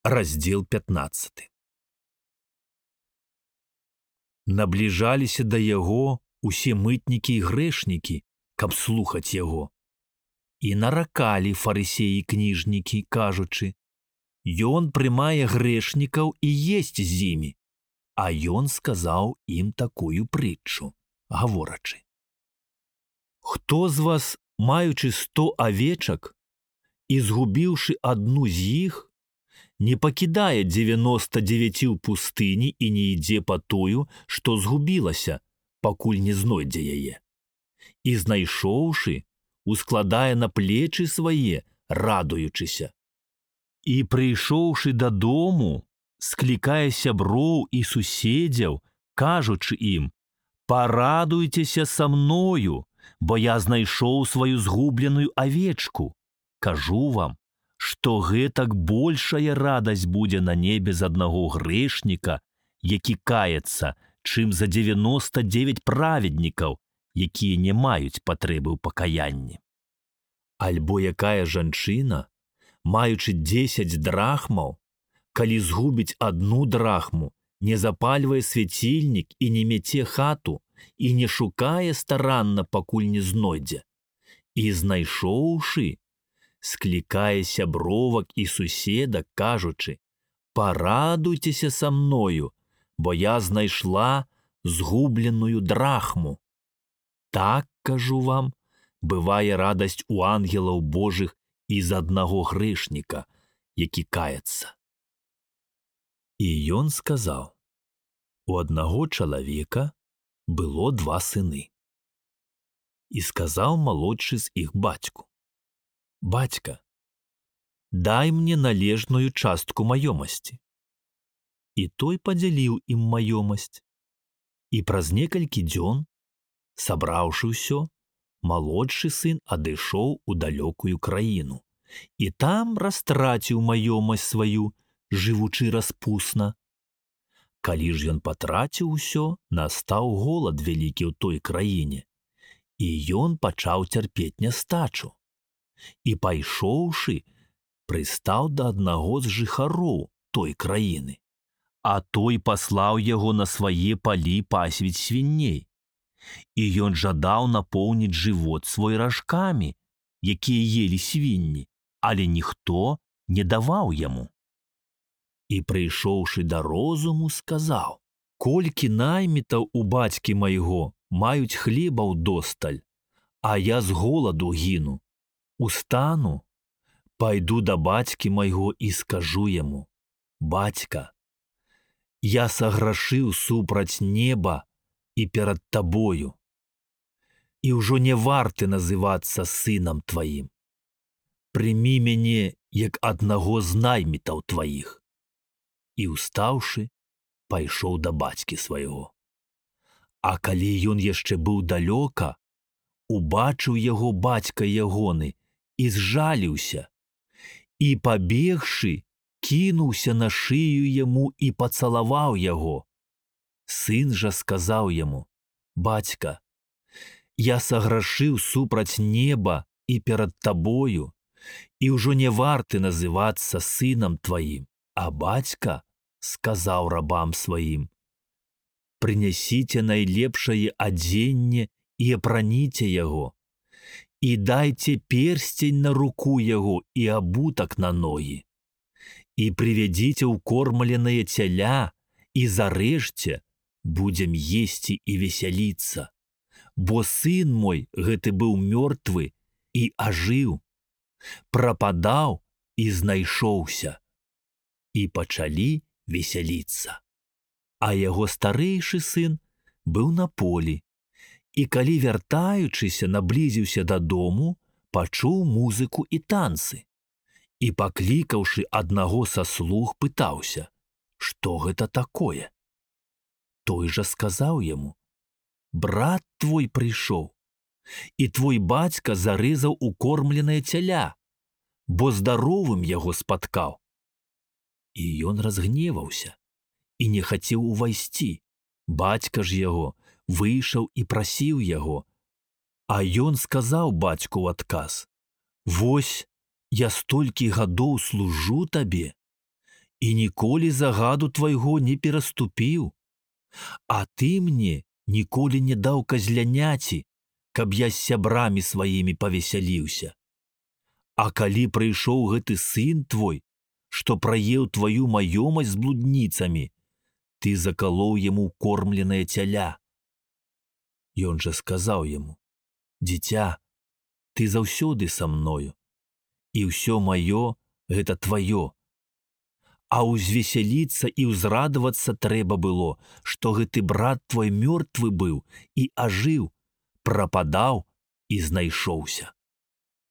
Раздзел 15. Набліжаліся да яго усе мытнікі і грэшнікі, каб слухаць яго. І наракалі фарысеі кніжнікі, кажучы: «Ён прымае грэшнікаў і есць з імі». А ён сказаў ім такую прытчу, гаворачы: «Хто з вас, маючы 100 авечак, і згубіўшы адну з іх, не пакідае 99 ў пустыні і не ідзе па тую, што згубілася, пакуль не знойдзе яе. І знайшоўшы, ускладае на плечы свае, радуючыся. І прыйшоўшы дадому, склікае сяброў і суседзяў, кажучы ім: «Парадуйцеся са мною, бо я знайшоў сваю згубленую авечку. Кажу вам, што гэтак большая радасць будзе на небе з аднаго грэшніка, які каецца, чым за 99 праведнікаў, якія не маюць патрэбы ў пакаянні. Альбо якая жанчына, маючы 10 драхмаў, калі згубіць одну драхму, не запальвае свяцільнік і не мяце хату, і не шукае старанна, пакуль не знойдзе. І знайшоўшы, склікае сябровак і суседак, кажучы: «Парадуйцеся са мною, бо я знайшла згубленую драхму». Так, кажу вам, бывае радасць у ангелаў Божых і з аднаго грэшніка, які каецца. І ён сказаў: «У аднаго чалавека было 2 сыны. І сказаў малодшы з іх бацьку: «Бацька, дай мне належную частку маёмасці». І той падзяліў ім маёмасць. І праз некалькі дзён, сабраўшы ўсё, малодшы сын адышоў у далёкую краіну і там растраціў маёмасць сваю, жывучы распусна. Калі ж ён патраціў усё, настаў голад вялікі ў той краіне, і ён пачаў цярпець нястачу. І пайшоўшы, прыстаў да аднаго з жыхароў той краіны, а той паслаў яго на свае палі пасвіць свіней. І ён жадаў напоўніць жывот свой ражкамі, якія елі свінні, але ніхто не даваў яму. І прыйшоўшы да розуму, сказаў: «Колькі наймітаў у бацькі майго маюць хлеба ўдосталь, а я з голаду гіну. Устану, пайду да бацькі майго і скажу яму: «Бацька, я саграшыў супраць неба і перад табою, і ўжо не варты называцца сынам тваім. Прымі мяне як аднаго з наймітаў тваіх». І устаўшы, пайшоў да бацькі свайго. А калі ён яшчэ быў далёка, убачыў яго бацька ягоны і зжаліўся, і, пабегшы, кінуўся на шыю яму і пацалаваў яго. Сын жа сказаў яму: «Бацька, я саграшыў супраць неба і перад табою, і ўжо не варты называцца сынам тваім». А бацька сказаў рабам сваім: «Прынясіце найлепшае адзенне і апраніце яго, і дайце персцень на руку яго і абутак на ногі, і прывядзіце ўкормленае цяля, і зарэжце, будзем есці і весяліцца, бо сын мой гэты быў мёртвы і ажыў, прападаў і знайшоўся». І пачалі весяліцца. А яго старэйшы сын быў на полі, і калі, вяртаючыся, наблізіўся дадому, пачуў музыку і танцы. І, паклікаўшы аднаго са слуг, пытаўся: «Што гэта такое?» Той жа сказаў яму: «Брат твой прыйшоў, і твой бацька зарэзаў укормленае цяля, бо здаровым яго спаткаў». І ён разгневаўся і не хацеў увайсці. Бацька ж яго выйшаў і прасіў яго. А ён сказаў бацьку ў адказ: «Вось, я столькі гадоў служу табе, і ніколі загаду твайго не пераступіў. А ты мне ніколі не даў казляняці, каб я з сябрамі сваімі павесяліўся. А калі прыйшоў гэты сын твой, што праеў тваю маёмасць з блудніцамі, ты закалоў яму кормленае цяля. Ён жа сказаў яму: дзіця, ты заўсёды са мною, і ўсё маё гэта тваё. А ўзвесяліцца і ўзрадавацца трэба было, што гэты брат твой мёртвы быў і ажыў, прападаў і знайшоўся.